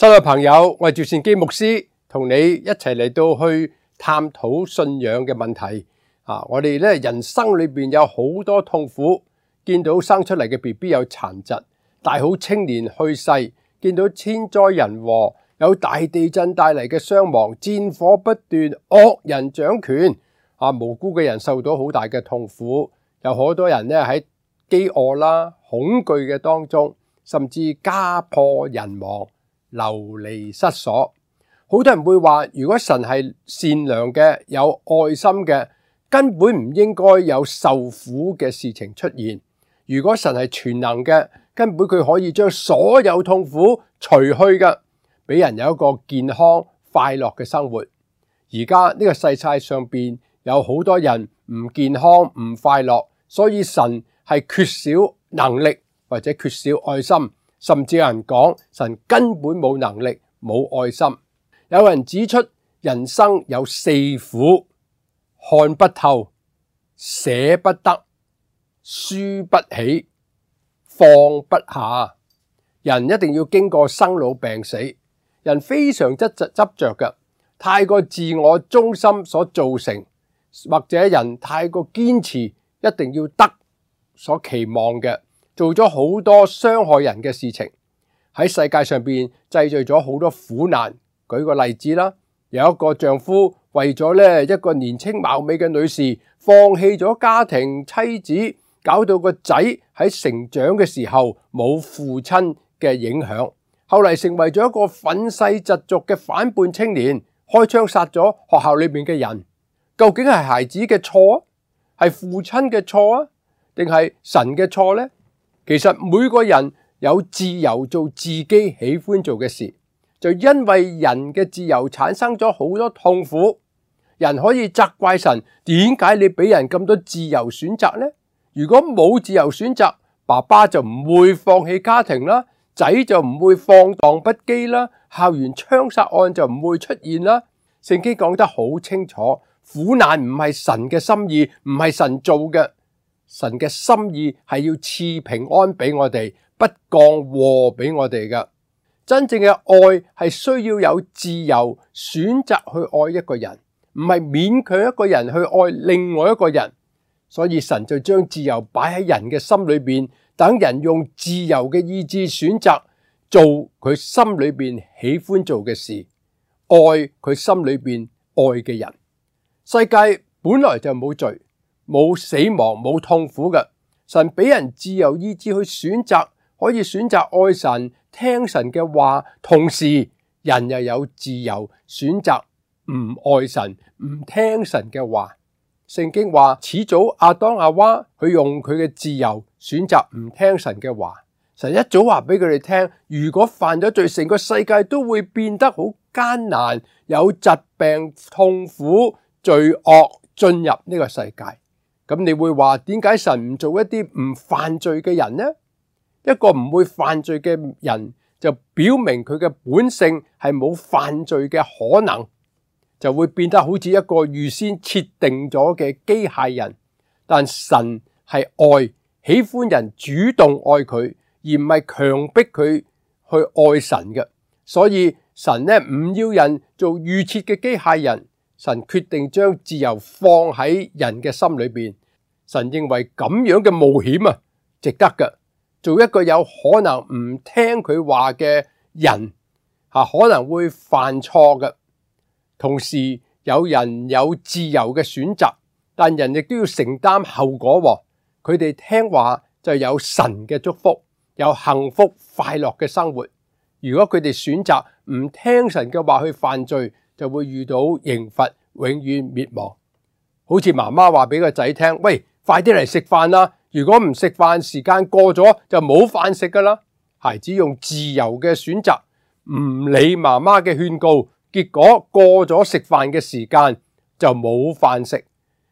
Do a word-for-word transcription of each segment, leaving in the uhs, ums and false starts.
親愛朋友，我係趙善基牧師，同你一齊嚟到去探討信仰嘅問題。啊，我哋咧人生裏邊有好多痛苦，見到生出嚟嘅 B B 有殘疾，大好青年去世，見到天災人禍，有大地震帶嚟嘅傷亡，戰火不斷，惡人掌權，啊，無辜嘅人受到好大嘅痛苦，有好多人咧喺飢餓啦、恐懼嘅當中，甚至家破人亡。流離失所，好多人會話，如果神係善良嘅、有愛心嘅，根本唔應該有受苦嘅事情出現。如果神係全能嘅，根本佢可以將所有痛苦除去嘅，俾人有一個健康快樂嘅生活。而家呢個世界上邊有好多人唔健康、唔快樂，所以神係缺少能力或者缺少愛心。甚至有人講神根本冇能力、冇愛心。有人指出人生有四苦：看不透、捨不得、輸不起、放不下。人一定要經過生老病死，人非常執執執着嘅，太過自我中心所造成，或者人太過堅持一定要得所期望嘅。做咗好多傷害人嘅事情，喺世界上邊製造咗好多苦難。舉個例子啦，有一個丈夫為咗咧一個年輕貌美嘅女士，放棄咗家庭妻子，搞到個仔喺成長嘅時候冇父親嘅影響，後嚟成為咗一個憤世嫉俗嘅反叛青年，開槍殺咗學校裏面嘅人。究竟係孩子嘅錯啊，係父親嘅錯啊，定係神嘅錯呢？其實每個人有自由做自己喜歡做嘅事，就因為人嘅自由產生咗好多痛苦。人可以責怪神，點解你俾人咁多自由選擇呢？如果冇自由選擇，爸爸就唔會放棄家庭啦，仔就唔會放蕩不羈啦，校園槍殺案就唔會出現啦。聖經講得好清楚，苦難唔係神嘅心意，唔係神做嘅。神嘅心意係要賜平安俾我哋，不降禍俾我哋嘅。真正嘅愛係需要有自由選擇去愛一個人，唔係勉強一個人去愛另外一個人。所以神就將自由擺喺人嘅心裏邊，等人用自由嘅意志選擇做佢心裏邊喜歡做嘅事，愛佢心裏邊愛嘅人。世界本來就冇罪，冇死亡，冇痛苦嘅。神俾人自由意志去選擇，可以選擇愛神、聽神嘅話，同時人又有自由選擇唔愛神、唔聽神嘅話。聖經話始祖亞當亞娃，佢用佢嘅自由選擇唔聽神嘅話。神一早話俾佢哋聽，如果犯咗罪，成個世界都會變得好艱難，有疾病、痛苦、罪惡進入呢個世界。咁你會話，點解神唔做一啲唔犯罪嘅人呢？一個唔會犯罪嘅人，就表明佢嘅本性係冇犯罪嘅可能，就會變得好似一個預先設定咗嘅機械人。但神係愛，喜歡人主動愛佢，而唔係強迫佢去愛神嘅。所以神呢唔要人做預設嘅機械人，神決定將自由放喺人嘅心裏邊。神認為咁樣嘅冒險啊，值得嘅。做一個有可能唔聽佢話嘅人，吓可能會犯錯嘅。同時有人有自由嘅選擇，但人亦都要承擔後果。佢哋聽話就有神嘅祝福，有幸福快樂嘅生活。如果佢哋選擇唔聽神嘅話去犯罪，就會遇到刑罰，永遠滅亡。好似媽媽話俾個仔聽，喂，快啲嚟食飯啦！如果唔食飯，時間過咗就冇飯食噶啦。孩子用自由嘅選擇，唔理媽媽嘅勸告，結果過咗食飯嘅時間就冇飯食，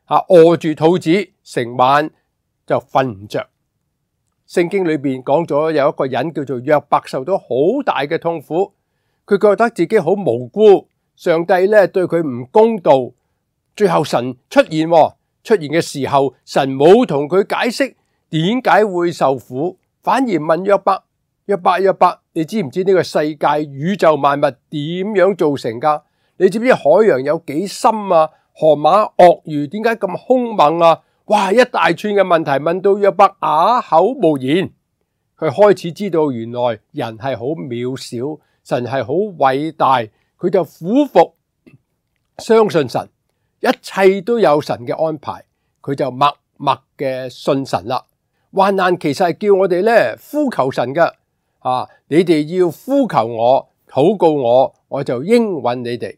吓餓住肚子，成晚就瞓唔着。聖經裏邊講咗有一個人叫做約伯，受到好大嘅痛苦，佢覺得自己好無辜，上帝咧對佢唔公道。最後神出現。出現嘅時候，神冇同佢解釋點解會受苦，反而問約伯：約伯約伯，你知唔知呢個世界宇宙萬物點樣造成噶？你知唔知海洋有幾深啊？河馬鱷魚點解咁兇猛啊？哇！一大串嘅問題問到約伯啞口無言。佢開始知道原來人係好渺小，神係好偉大，佢就俯伏相信神，一切都有神嘅安排，佢就默默嘅信神啦。患難其實係叫我哋咧呼求神嘅，啊！你哋要呼求我，禱告我，我就應允你哋。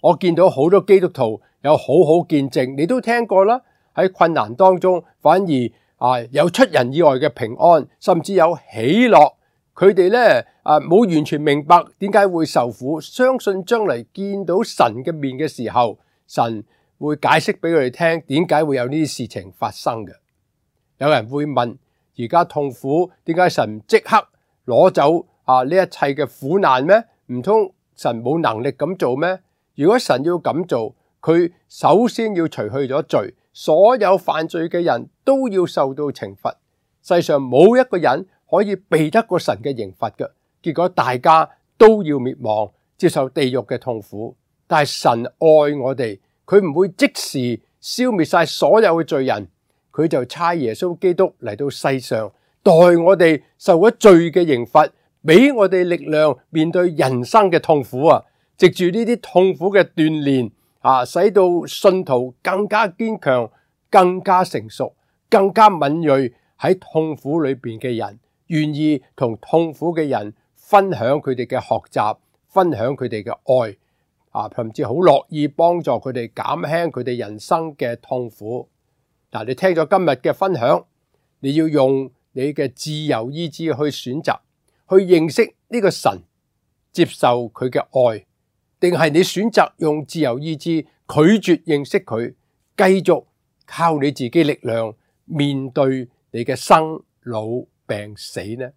我見到好多基督徒有好好見證，你都聽過啦。喺困難當中，反而啊有出人意外嘅平安，甚至有喜樂。佢哋咧啊冇完全明白點解會受苦，相信將來見到神嘅面嘅時候，神會解釋俾佢哋聽點解會有呢啲事情發生嘅。有人會問：而家痛苦，點解神即刻攞走啊呢一切嘅苦難咩？唔通神冇能力咁做咩？如果神要咁做，佢首先要除去咗罪，所有犯罪嘅人都要受到懲罰。世上冇一個人可以避得過神嘅刑罰嘅，結果大家都要滅亡，接受地獄嘅痛苦。但係神愛我哋，佢唔會即時消滅晒所有嘅罪人，佢就差耶穌基督嚟到世上，代我哋受咗罪嘅刑罰，俾我哋力量面對人生嘅痛苦啊！藉住呢啲痛苦嘅鍛煉啊，使到信徒更加堅強、更加成熟、更加敏銳。喺痛苦裏邊嘅人，願意同痛苦嘅人分享佢哋嘅學習，分享佢哋嘅愛啊，甚至好樂意幫助佢哋減輕佢哋人生嘅痛苦。嗱，你聽咗今日嘅分享，你要用你嘅自由意志去選擇，去認識呢個神，接受佢嘅愛。定係你選擇用自由意志拒絕認識佢，繼續靠你自己力量面對你嘅生老病死呢？